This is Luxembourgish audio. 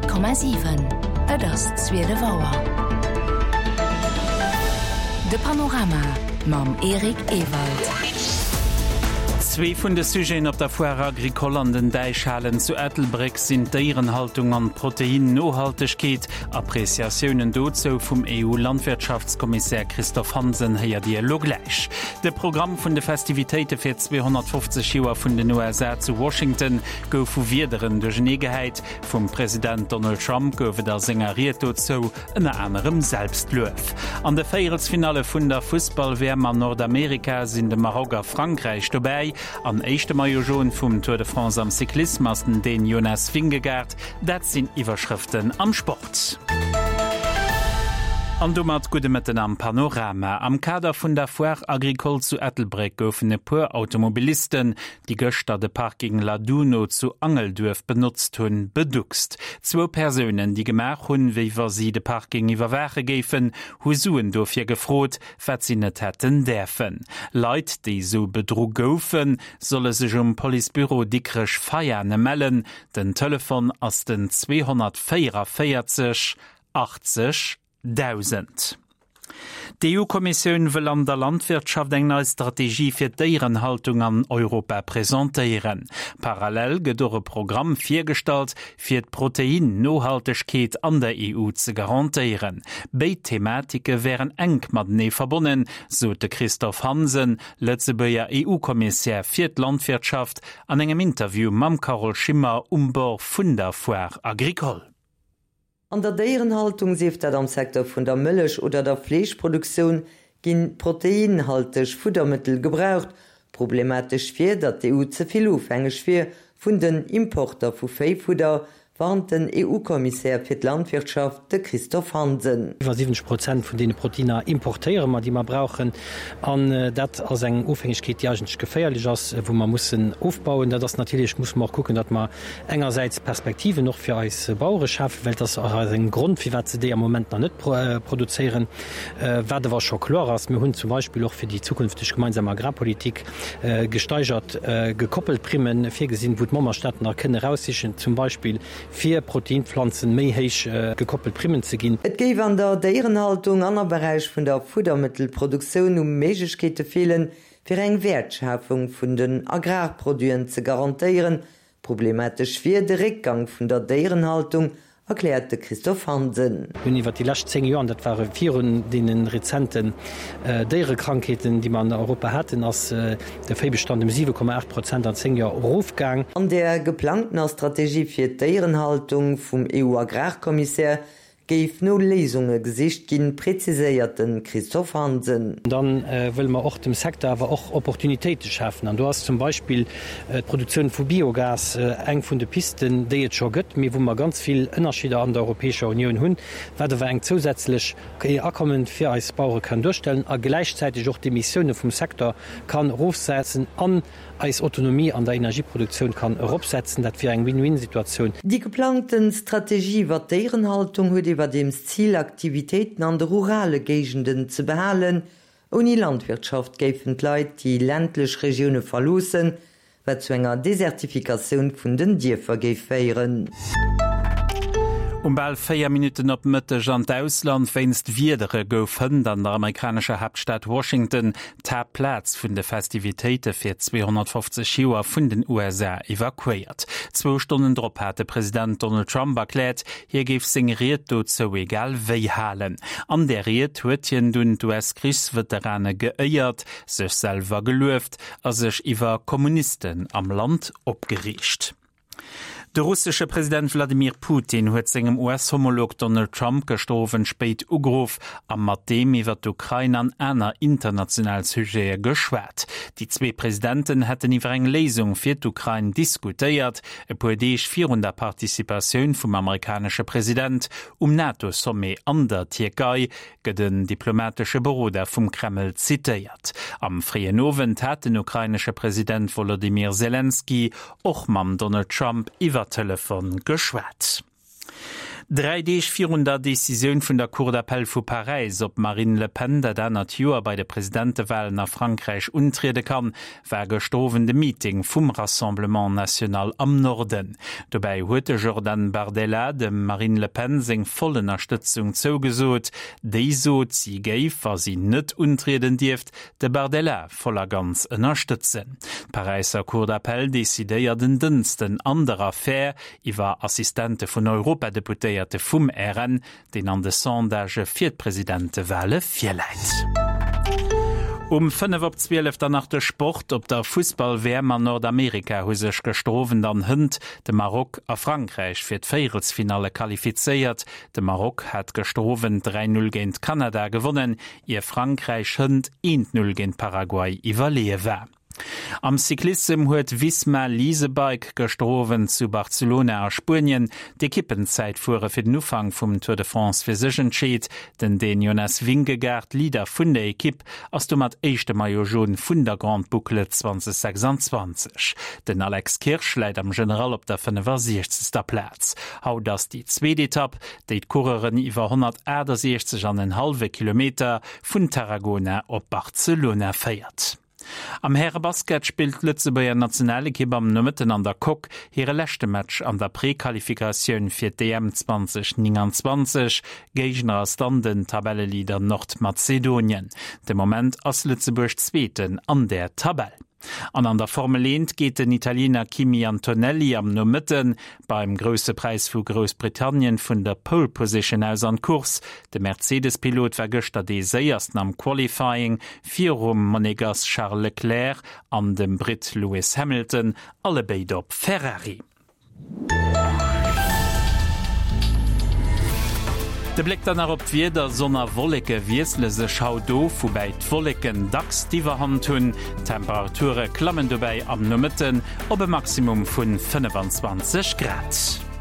100,7 Et ass 12 Auer. De Panorama mam Eric Ewald. Zwee vun de Sujeten op der Foire Agricole an den Däichhalen zu Ettelbréck sinn d'Déierenhaltung an d'Protein-Nohaltegkeet. Appreciatiounen dozou vum EU-Landwirtschaftskommissär Christophe Hansen héiert Dir elo gläich. De Programm vun de Festivitéite fir 250 Joer vun den USA zu Washington gouf vu Wiederen duerchenee gehäit. Vum President Donald Trump gouf et a senger Ried dozou ënner anerem Selbstluef. An de Véierelsfinalle vun der Fussball-WM an Nordamerika sinn de Maroc a Frankräich dobäi. An éischte Maillot Jaune vum Tour de France am Cyclissem ass den Dän Jonas Vingegaard. Dat sinn Iwwerschrëften am Sport. An domat gudde Mëtten am Panorama. Am Kader vun der Foire Agricole zu Ettelbréck goufen e puer Automobilisten, déi gëschter de Parking Laduno zu Angelduerf benotzt hunn, beduckst. Zwou Persounen, déi gemaach hunn, wéi wa si de Parking iwwerwaache géifen, hu Suen dofir gefrot, wat si net hätten däerfen. Leit, déi esou bedru goufen, solle sech um Policebüro Dikrech-Veiane mellen. Den Telefon ass den 244 80 1.000. D'EU-Kommissioun wëll an der Landwirtschaft eng nei Strategie fir d'Déierenhaltung an Europa presentéieren. Parallel gëtt och e Programm virgestallt, fir d'Protein-Nohaltegkeet an der EU ze garantéieren. Béid Thematike wären enk matenee verbonnen, sot de Christophe Hansen, Lëtzebuerger EU-Kommissär fir d'Landwirtschaft, an engem Interview mam Carole Schimmer um Bord vun der Foire Agricole. An der Déierenhaltung, sief dat am Secteur vun der Mëllech oder der Fleeschproduktioun, ginn proteinhalteg Fuddermëttel gebraucht. Problematesch wier, datt d'EU ze vill ofhängeg wier vun den Importer vu Véifudder, warnt den EU-Kommissär fir d'Landwirtschaft, de Christophe Hansen. Iwwer 70 Prozent vun deene Proteiner importéiere mer, déi mer brauchen. An dat ass eng Ofhängegkeet, déi eigentlech geféierlech ass, wou mer mussen ofbauen. Dat ass natierlech, musse mer och kucken, datt mer engersäits Perspektiven och fir eis Bauere schafen, well et ass och aus engem Grond, firwat se déi am Moment nach net produzéieren. Wat awer scho kloer ass, Mir hunn zum Beispill och fir déi zukünfteg gemeinsam Agrarpolitik gesteigert gekoppelt Primme virgesinn, wou d'Memberstaaten da kënne eraussichen, zum Beispill fir Proteinpflanzen méi héich gekoppelt Primmen ze ginn. Et géif an der Déierenhaltung an am Beräich vun der Fuddermëttelproduktioun u Méiglechkeete feelen, fir eng Wäertschafung vun den Agrarproduiten ze garantéieren. Problematesch wier de Réckgang vun der Déierenhaltung, erkläert de Christophe Hansen. Mir hunn iwwer déi lescht 10 Joer, an dat ware virun deene rezenten Déierekrankheeten, déi mer an Europa haten, ass de Véibestand ëm 7,8 Prozent an 10 Joer erofgaang. An der geplangtener Strategie fir d'Déierenhaltung vum EU-Agrarkommissär Géif no Léisunge gesicht ginn, präziséiert de Christophe Hansen. Da wëlle mer och dem Secteur awer och Opportunitéite schafen. An do ass zum Beispill d'Produktioun vu Biogas eng vun de Pisten, déi et scho gëtt, mee wou mer ganz vill Ënnerscheeder an der Europäescher Unioun hunn, wat awer eng zousätzlech Akommen fir eis Bauere kann duerstellen a gläichzäiteg och d'Emissioune vum Secteur kann erofsetzen an eis Autonomie an der Energieproduktioun kann eropsetzen. Dat wier eng Win-win-Situatioun. Déi geplangten Strategie iwwer d'Déierenhaltung huet iwwerdeems d'Zil, Aktivitéiten an de rurale Géigenden ze behalen. Ouni Landwirtschaft géifen d'Leit déi ländlech Regioune verloossen, wat zu enger Desertifikatioun vun den Dierfer géif féieren. Um bal 4 Minutten op Mëtteg an d'Ausland, Wéinst Wiedere gouf hënt an der amerikanescher Haaptstad Washington d'Haaptplaz vun de Festivitéite fir 250 Joer vun den USA evakuéiert. Zwou Stonnen drop hat de President Donald Trump erkläert, hie géif seng Ried dozou egal wéi halen. An där Ried huet hien dunn d'US-Krichsveterane geéiert, sech selwer gelueft a sech iwwer Kommunisten am Land opgereegt. De russesche President Wladimir Putin huet sengem US-Homolog Donald Trump gëschter Owend spéit ugeruff a mat deem iwwer d'Ukrain an aner international Sujete geschwat. Déi zwee Presidenten hätten iwwer eng Léisung fir d'Ukrain diskutéiert, e puer Deeg virun der Participatioun vum amerikanesche President um NATO-Sommet an der Tierkei, gëtt en diplomatesche Beroder vum Kreml zitéiert. Am fréien Owend hat den ukrainesche President Wolodymyr Selenskyj och mam Donald Trump iwwer Telefon geschwat. Dräi Deeg virun der Decisioun vun der Cour d'appel vu Paräis, ob d'Marine Le Pen dat anert Joer bei de Presidentewalen a Frankräich untriede kann, war gëschter Owend e Meeting vum Rassemblement National am Norden. Dobäi huet de Jordan Bardella dem Marine Le Pen seng voll Ënnerstëtzung zougesot. Déi sot, si géif, wa si net untrieden dierft, de Bardella voll a ganz ënnerstëtzen. D'Paräisser Cour d'appel decidéiert en Dënsten an der Affär iwwer Assistente vun Europadeputéierte vum RN, deen an de Sondagë fir d'Presidentewale virläit. Um 5 op 12 dann nach de Sport. Op der Fussball-WM an Nordamerika hu sech gëschter Owend an hënt de Maroc a Frankräich fir d'Véierelsfinalle qualifizéiert. De Maroc hat gëschter Owend 3, 0 géint Kanada gewonnen, ier Frankräich hënt 1, 0 géint Paraguay iwwerleeë war. Am Cyclissem huet Visma Lease a Bike gëschter Owend zu Barcelona a Spuenien d'Ekippenzäitfuere fir den Ufank vum Tour de France fir sech entscheet. Den Dän Jonas Vingegaard, Leader vun der Ekipp, ass domat éischte Maillot Jaune vun der Grande Boucle 2026. Den Alex Kirsch läit am General op der 65. Plaz. Haut ass déi zweet Etapp, déi d'Coureuren iwwer 168 an en hallwe Kilometer vun Tarragona op Barcelona féiert. Am Härebasket spillt d'Lëtzebuerger Nationalekipp am Nomëtten an der Coque hire leschte Match an der Prequalifikatioun fir d'EM 2029. Géigner ass dann den Tabelleleader Nordmazedonien. De Moment ass Lëtzebuerg Zweeten an der Tabell. An an der Formel 1 geet den Italiener Kimi Antonelli am Nomëtte beim Grousse Präis vu Groussbritannien vun der Pole Position aus an d'Course. De Mercedes-Pilot war gëschter dee séiersten am Qualifying virum Monegass Charles Leclerc an dem Britt Lewis Hamilton, allebéid op Ferrari. De Bléck dann nach op d'Wieder, Sonn a Wolleke wiessele sech haut of, woubäi d'Wolleken dacks d'Iwwerhand hunn. D'Temperature klammen dobäi am Nomëtten op e Maximum vun 25 Grad.